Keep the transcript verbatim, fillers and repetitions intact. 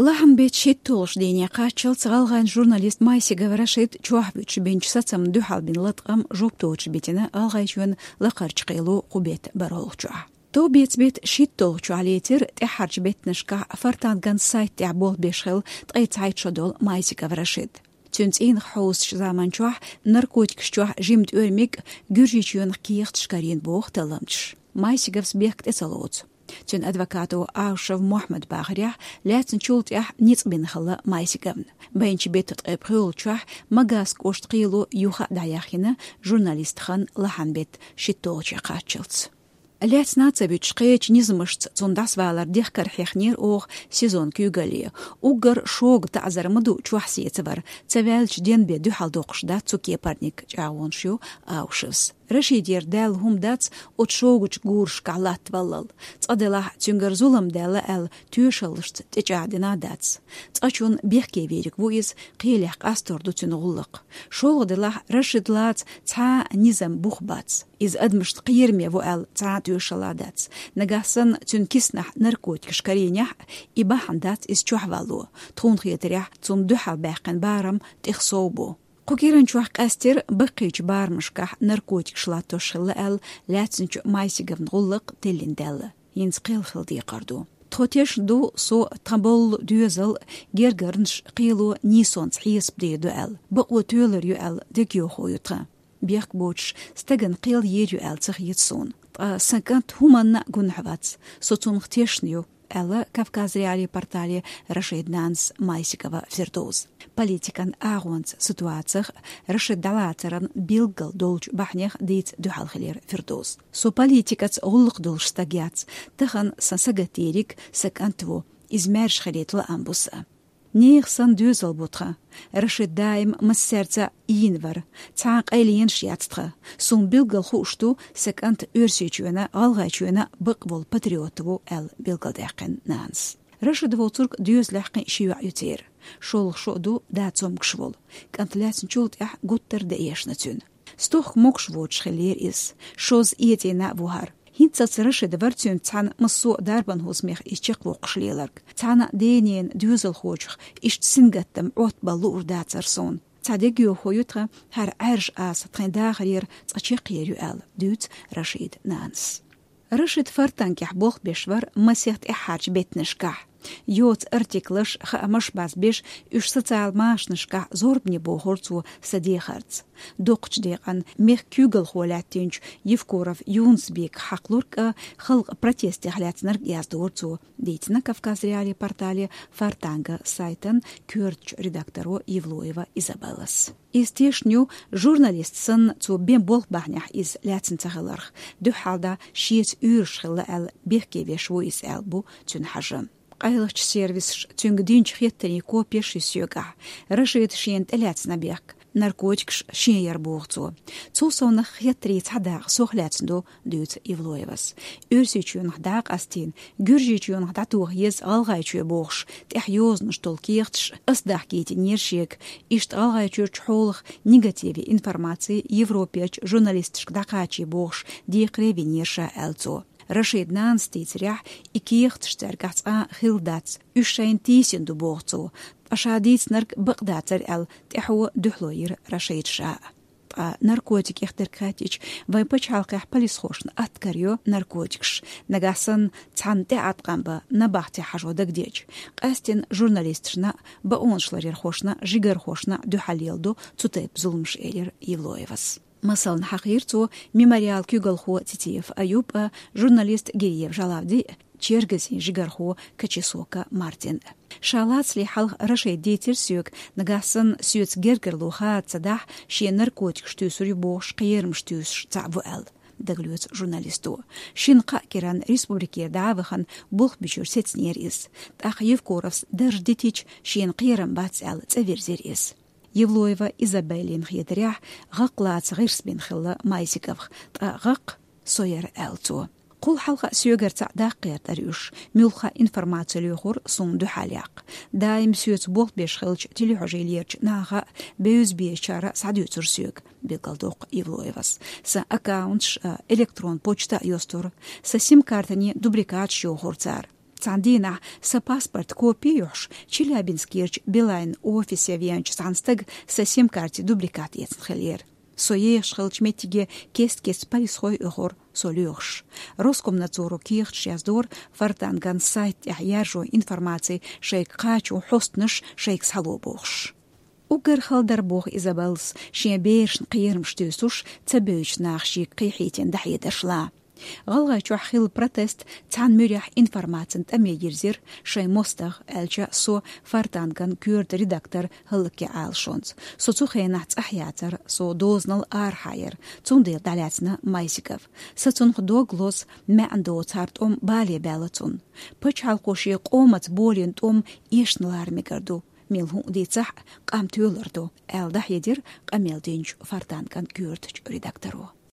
Лахьан беттан шийтталгӀачу дийне кхаччалц гӀалгӀайн журналист Майсигов Рашид чохь вуьтуш бинчу сацамна дуьхьал бина латкъам жоп доцуш битина ГӀалгӀайчоьнан лакхарчу кхело кху беттан бархӀалгӀачохь. Товбеца беттан шийтталгӀачохь лецира тӀаьххьарчу беттанашкахь Фортанган сайт тӀехь болх беш хилла ткъе цхьайтта шо долу Майсигов Рашид. Цуьнан цӀийнах хьовсучу заманчохь наркотикаш чохь жимма тӀоьрмиг Гуьржийчоьнах кехаташ карийна боху талламчаш. Майсиговс бехк тӀе ца лоцу. Цуьнан адвокато Аушев Мохьмада бахарехь, лаьцначул тӀаьхьа ницкъ бина хилла Майсиговна. Байначу беттан ткъе пхоьалгӀачохь Магаска кӀоштан кхело юха а дӀаяьхйина журналистан хан лахьан беттан шийтталгӀачохь кхаччалц. Лаьцна а ца вуьтуш, кхечу низамашца цунна дӀасавалар дехкар хьехнера оха СИЗОн куьйгалле. Уггар шога таӀзар ма ду чохь сецавар, ца ваьллачу денбе дуьхьал доккхуш дац цу кепарниг, чӀагӀонаш йо Аушевс. Рашидера даьлла хӀума дац оцу шогачу гурашкахь латтаваллал. Цкъа делахь, цуьнгара зулам даьлла аьлла, тоьшаллашца тӀечӀагӀдина а дац. Цкъачунна бехке вийриг ву иза, кхелехь къастор ду цуьнан гӀуллакх. ШолгӀа делахь, Рашид лаца цхьа а низам бух бац. Иза адамашна кхераме ву аьлла цхьа а тоьшалла дац. Нагахь санна цуьнан киснахь наркотикаш карийнехь а, и бахьана дац иза чохь валло. Тхуна хетарехь, цунна дуьхьал баьккхина барам тӀех сов бу. Кху кӀиранчохь къаьстира баккхийчу барамашкахь наркотикаш латтош хилла аьлла лаьцначу Майсиговн гӀуллакх тиллина даьлла. ХӀинца кхел хила декхар ду. Тхо тешна ду со тхан болу доьзал, гергарнаш, кхело нийсонца хьесап дийр ду аьлла, бакъо тоьлур ю аьлла дегайовхо ю тхан. Бехк боцуш стагана кхел йийр ю аьлла ца хета суна. Ткъа сан кӀант хӀуманна а гунахь вац, со цунах тешна ю, аьлла Кавказ.Реалии портале Рашидан нанас Майсигова Фирдоузас. Политикан агӀонца ситуацих, Рашид дӀалацаран билггал долчу бахьанех дийца дуьхьал хилира Фирдоузас. Со политикаца гӀуллакх долуш стаг яц, тахана сан сагатдийриг сан кӀант ву, иза маьрша хилийта лаам бу сан. Нехан санна доьзал бу тхан. Рашид даим массаьрца ийна вара. Цхьа а къайленаш яц тхан. Суна билггал хууш ду сан кӀант Оьрсийчоьнан, ГӀалгӀайчоьнан бакъ волу патриот ву, аьлла билгалдаьккхина нанас. Рашид воцург доьзалехь кхин ши йоӀ ю церан. ШолгӀа шо а ду да цомгуш волу. КӀант лаьцначул тӀаьхьа гуттар а дан эшна цуьнан. Стохка могуш воцуш хиллера иза. Шозза эцийна а ву хӀара. ХӀинццалц Рашид вара цуьнца цхьана массо а дарбан хӀусамех иза чекхвоккхуш леларг. Цхьана а ден-ненан доьзалхочух иштта сингаттам, Ӏоттабалла луур дацара суна. Цхьа дегайовхо ю тхан, хӀара Ӏаьржа аса тхайн дахарера цкъа чекхъер ю аьлла, дуьйцу Рашидан нанас. Рашид Фортангехь болх беш вара масех тӀаьххьарчу беттанашкахь. Йоцу артиклаш, хаамаш базбеш, уьш социал машанашкахь зорбане бохура цо сан дехарца. Доккхачу декъана мехкан куьйгалхо лаьттинчу Евкуров Юнус-Беках хьакхалург а, халкъан протестех лаьцнарг а яздора цо, дийцина Кавказ.Реалии портале Фортанга сайтан коьртачу редакторо Евлоева Изабеллас. Иза тешна ю, журналист санна цо бен болх бахьанехь иза лаьцна ца хиларх, дуьххьалда шеца уьйраш хилла аьлла бехке веш ву иза аьлла бу цуьнан хьажа. Къайлахчу сервисаша цуьнга динчу хеттарийн копеш ю соьгахь. Рашида шена тӀелаьцна бехк, наркотикаш шен яра боху цо. Цул совнаха хеттарийн цхьа дакъа сох лаьцна ду, дуьйцу Евлоевас. Оьрсийчоьнах дӀа а къастийна, Гуьржийчоьнах дӀатоха еза ГӀалгӀайчоь бохуш, тӀехь йозанаш долу кехаташ ас дахкийтинера шега, иштта ГӀалгӀайчуьрчу хьолах негативе информаци Европерчу журналисташка дӀакхачий бохуш, декхаре винера ша, аьлла цо. Рашидан нанас дийцарехь, и кехаташ цаьргахь цкъа а хилла дац, уьш шайна тийсина ду боху цо, ткъа ша дийцинарг бакъ дацара аьлла, тӀаьхьо дуьхьало йира Рашида ша а. Ткъа наркотикех дерг хаттича, вайн пачхьалкхехь полисхошна атта карайо наркотикаш, нагахь санна цхьанна тӀеӀаткъам бан набахте хьажо дагадеъча. Къаьсттина журналисташна а, бакъонаш ларъярхошна а, жигархошна а дуьхьал леладо цу тайпа зуламаш, элира Евлоевас. Масална хьахийра цо Мемориалан куьйгалхо Цицеев Аюб а, журналист Гириев Жалавди а, чергазийн жигархо Качесока Мартин а. Ша лацале хьалха Рашида дийцира соьга, нагахь санна соьца гергарло хада ца дахь, шен наркотикаш туьйсур ю бохуш кхерамаш туьйсуш цхьаъ ву аьлла, дагалоьцу журналисто. Шина-кхаа кӀиранна республикера дӀа а вахана, болх бичуьра сецнера иза. ТӀаккха Евкуровс дарж дитича, шена кхерам бац аьлла, цӀа вирзира иза. Евлоева Изабеллина хетарехь, гӀакълаца гӀирс бина хилла Майсиговх, ткъа гӀаккха со яра, аьлла цо. Кхул хьалха а соьгара цхьаъ даккха гӀертара уьш, муьлхха а информаци лоьхура суна дуьхьал яккха. Даим соьца болх беш хиллачу телехьожийлерчу наха а, бевза безачара а схьадуьйцура соьга, билгалдоккху Евлоевас. Сан аккаунташ а, электрон почта а йостура, сан сим-картанийн дубликаташ йохура цара. Цхьан дийнахь сан паспорт копи йохьуш, Челябинскерчу Билайн офисе веанчу цхьана стага сан сим-карти дубликат эцна хиллера. Со ехаш хиллачу меттиге кест-кеста полисхой оьхура со лоьхуш. Роскомнадзоро кехаташ яздора Фортанган сайт тӀехь яржо информаци шайга кхачо хьостанаш шайга схьало бохуш. Уггар хала дара, боху Изабеллас, шен берашна кхерамаш туьйсуш, ца бевзачу наха шега кхехьийтина дӀахьедарш лан. ГӀалгӀайчохь хилла протест цхьана муьрехь информацин тӀаме йирзира шайн мостагӀа, аьлча, со Фортанган коьрта редактор хӀаллакьхи Ӏалашонца. Со цу хенахь цӀахь яцара, со дозанал арахьа яра, цундела дӀалаьцна Майсигов. Сан цунах дог лозу, маьӀна доцу хӀара тӀом бале баьлла цунна. Пачхьалкхо шен къомаца болийна тӀом эшна лара мегар ду, мила хӀума дийцахь а, къам тоьлур ду, аьлла дӀахьедира къамел динчу Фортанган коьртачу редакторо.